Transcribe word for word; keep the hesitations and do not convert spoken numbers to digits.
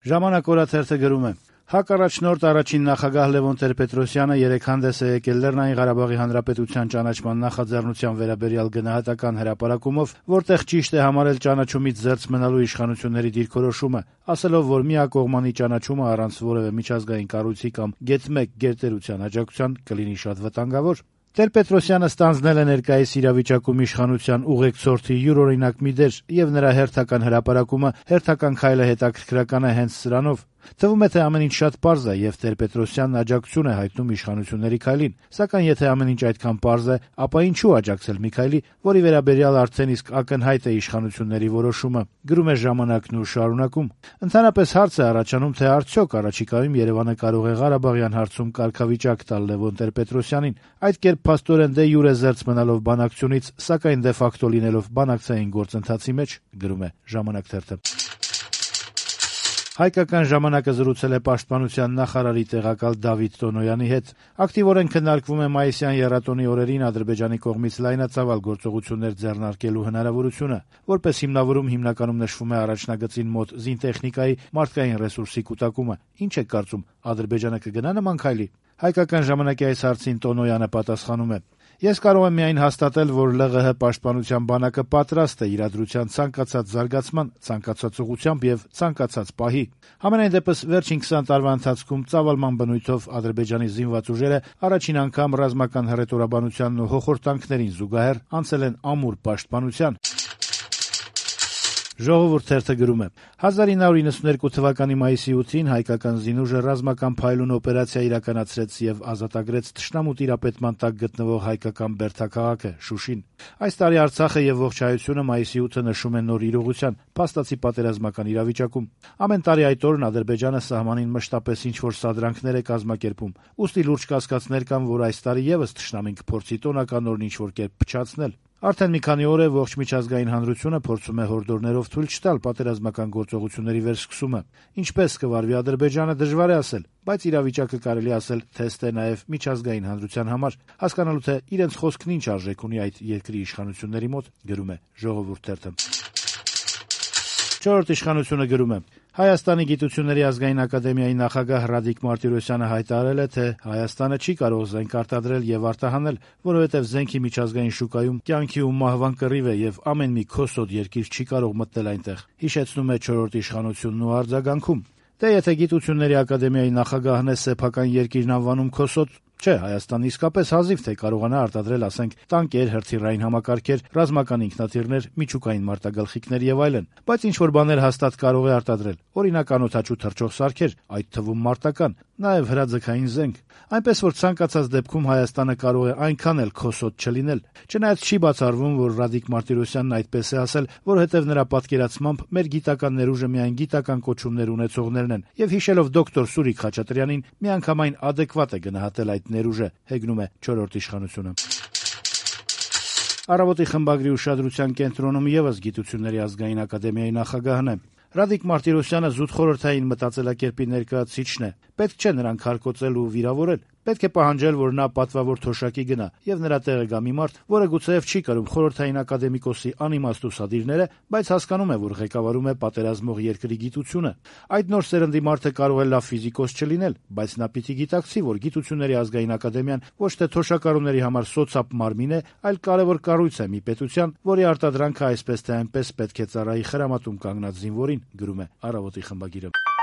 Ժամանակ օրաթերթը գրում է. ՀԱԿ առաջնորդ առաջին նախագահ Լևոն Տեր-Պետրոսյանը երեկ հանդես է եկել Լեռնային Ղարաբաղի Հանրապետության ճանաչման նախաձեռնության վերաբերյալ գնահատական հրապարակումով, որտեղ ճիշտ է համարել ճանաչումից զերծ մնալու իշխանությունների դիրքորոշումը, ասելով, որ միակողմանի ճանաչումը առանց որևէ միջազգային կառույցի կամ գեթ մեկ գերտերության աջակցության կլինի շատ վտանգավոր։ Տեր-Պետրոսյանը ստանձնել է ներկայիս իրավիճակում իշխանության ուղեկցորդի յուրօրինակ մի դեր, եւ նրա հերթական հրապարակումը, հերթական քայլը հետաքրքրական է հենց սրանով։ Թվում է, թե ամեն ինչ շատ պարզ է, եւ Տեր-Պետրոսյանն աջակցություն է հայտնում իշխանությունների քայլին, սակայն եթե ամեն ինչ այդքան պարզ է, ապա ինչու աջակցել մի քայլի, որի վերաբերյալ արդեն իսկ ակնհայտ է իշխանությունների որոշումը, գրում է «Ժամանակն» ու շարունակում. Ընդհանրապես հարց է առաջանում, թե արդյոք առաջիկայում Երևանը կարող է Ղարաբաղյան հարցում կարգավիճակ տալ Լևոն Տեր-Պետրոսյանին, այդ կերպ փաստորեն դե յուրե զերծ մնալով բանակցությունից, սակայն դե ֆակտո լինելով բանակցային գործընթացի մեջ, գրում է «Ժամանակ» թերթը։ Հայկական ժամանակը զրուցել է պաշտպանության նախարարի տեղակալ Դավիթ Տոնոյանի հետ։ Ակտիվորեն քննարկվում է մայիսյան եռատոնի օրերին Ադրբեջանի կողմից լայնածավալ գործողություններ ձեռնարկելու հնարավորությունը, որպես հիմնավորում հիմնականում նշվում է առաջնագծին մոտ զինտեխնիկայի, մարդկային ռեսուրսի կուտակումը։ Ինչ եք կարծում, Ադրբեջանը կգնա նման քայլի։ Հայկական ժամանակի այս հարցին Տոնոյանը պատասխանում է. Ես կարող եմ միայն հաստատել, որ ԼՂՀ պաշտպանության բանակը պատրաստ է իրադրության ցանկացած զարգացման, ցանկացած ուղղությամբ եւ ցանկացած պահի։ Համենայն դեպս վերջին քսան տարվա ընթացքում ծավալման բնույթով Ադրբեջանի զինված ուժերը առաջին անգամ ռազմական հռետորաբանությանն ու հոխորտանքներին զուգահեռ անցել են ամուր պաշտպանության։ Ժողովուրդ թերթը գրում է. հազար ինը հարյուր իննսունհերկու թվականի մայիսի ութին հայկական զինուժը ռազմական փայլուն օպերացիա իրականացրեց եւ ազատագրեց թշնամու տիրապետման տակ գտնվող հայկական Բերդաքաղաքը, Շուշին։ Այս տարի Արցախը եւ ողջ հայությունը մայիսի ութը նշում են նոր իրողության, փաստացի պատերազմական իրավիճակում։ Ամեն տարի այդ օրն Ադրբեջանը սահմանին մշտապես ինչ-որ սադրանքներ է կազմակերպում, ուստի լուրջ կասկածներ կան, որ այս տարի եւս թշնամին կփորձի տոնական օրն ինչ-որ կերպ փչացնել։ Արդեն մի քանի օր է ողջ միջազգային հանրությունը փորձում է հորդորներով թույլ չտալ պատերազմական գործողությունների վերսկսումը։ Ինչպես կվարվի Ադրբեջանը, դժվար է ասել, բայց իրավիճակը կարելի ասել թեստ է նաև միջազգային հանրության համար, հասկանալու թե իրենց խոսքն ինչ արժեք ունի այդ երկրի իշխանությունների մոտ, գրում է Ժողովուրդ թերթը։ Չորրորդ իշխանությունը գրում է. Հայաստանի գիտությունների ազգային ակադեմիայի նախագահ Ռադիկ Մարտիրոսյանը հայտարարել է, թե Հայաստանը չի կարող զենք արտադրել եւ արտահանել, որովհետեւ զենքի միջազգային շուկայում կյանքի ու մահվան կռիվ է եւ ամեն մի քոսոտ երկիր չի կարող մտնել այնտեղ, հիշեցնում է չորրորդ իշխանությունն ու արձագանքում։ Դե եթե գիտությունների ակադեմիայի նախագահն է սեփական երկիրն անվանում քոսոտ, չէ, Հայաստանն իսկապես հազիվ թե կարողանա արտադրել, ասենք, տանկեր, հրթիռային համակարգեր, ռազմական ինքնաթիռներ, միջուկային մարտագլխիկներ եւ այլն, բայց ինչ-որ բաներ հաստատ կարող է արտադրել, օրինակ անօդաչու թռչող սարքեր, այդ թվում մարտական, նաեւ հրաձգային զենք, այնպես որ ցանկացած դեպքում Հայաստանը կարող է այնքան էլ քոսոտ չլինել։ Չնայած չի բացառվում, որ Ռադիկ Մարտիրոսյանն այդպես է ասել, որովհետեւ նրա պատկերացմամբ մեր գիտական ներուժը միայն գիտական կոչումներ ունեցողներն են, եւ հիշելով դոկտոր Սուրիկ Խաչատրյանին, միանգամայն adekvat է գնահատել այդ ներուժը, հեգնում է չորրորդ իշխանությունը։ Առավոտի խմբագրի ուշադրության կենտրոնում եւս գիտությունների ազգային ակադեմիայի նախագահն է։ Ռադիկ Մարտիրոսյանը զուտ խորհրդային մտածելակերպի ներկայացուցիչն է։ Պետք չէ նրան քարկոծել ու վիրավորել։ Պետք է պահանջել, որ նա պատվավոր թոշակի գնա եւ նրա տեղը գա մի մարդ, որը գուցեև չի կրում խորհրդային ակադեմիկոսի անիմաստ ուսադիրները, բայց հասկանում է, որ ղեկավարում է պատերազմող երկրի գիտությունը։ Այդ նոր սերնդի մարդը կարող է լավ ֆիզիկոս չլինել, բայց նա պիտի գիտակցի, որ գիտությունների ազգային ակադեմիան ոչ թե թոշակառուների համար սոցապ մարմին է, այլ կարևոր կառույց է մի պետության, որի արտադրանքը այսպես թե այնպես պետք է ծառայի խրամատում կանգնած զինվորին, գրում է Առավոտի խմբագիրը։